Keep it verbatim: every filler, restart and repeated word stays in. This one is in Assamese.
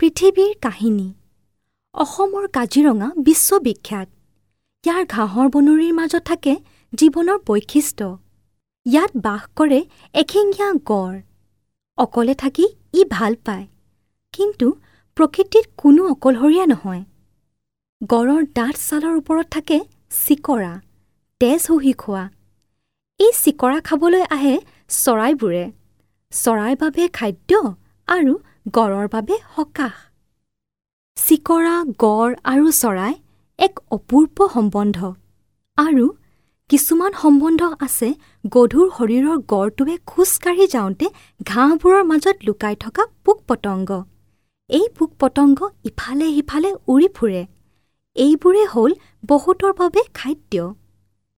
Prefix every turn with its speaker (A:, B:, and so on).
A: পৃথিৱীৰ কাহিনী। অসমৰ কাজিৰঙা বিশ্ববিখ্যাত। ইয়াৰ ঘাঁহৰ বননিৰ মাজত থাকে জীৱনৰ বৈশিষ্ট্য। ইয়াত বাস কৰে এশিঙীয়া গঁড়। অকলে থাকি ই ভাল পায়, কিন্তু প্ৰকৃতিত কোনো অকলশৰীয়া নহয়। গঁড়ৰ ডাঠ ছালৰ ওপৰত থাকে চিকৰা, তেজ শুহি খোৱা। এই চিকৰা খাবলৈ আহে চৰাইবোৰে। চৰাইৰ বাবে খাদ্য আৰু গঁড়ৰ বাবে সকাহ। চিকৰা, গঁড় আৰু চৰাই এক অপূৰ্ব সম্বন্ধ। আৰু কিছুমান সম্বন্ধ আছে গধুৰ শৰীৰৰ গঁড়টোৱে খোজ কাঢ়ি যাওঁতে ঘাঁহবোৰৰ মাজত লুকাই থকা পোক পতংগ। এই পোক পতংগ ইফালে সিফালে উৰি ফুৰে। এইবোৰেই হ'ল বহুতৰ বাবে খাদ্য।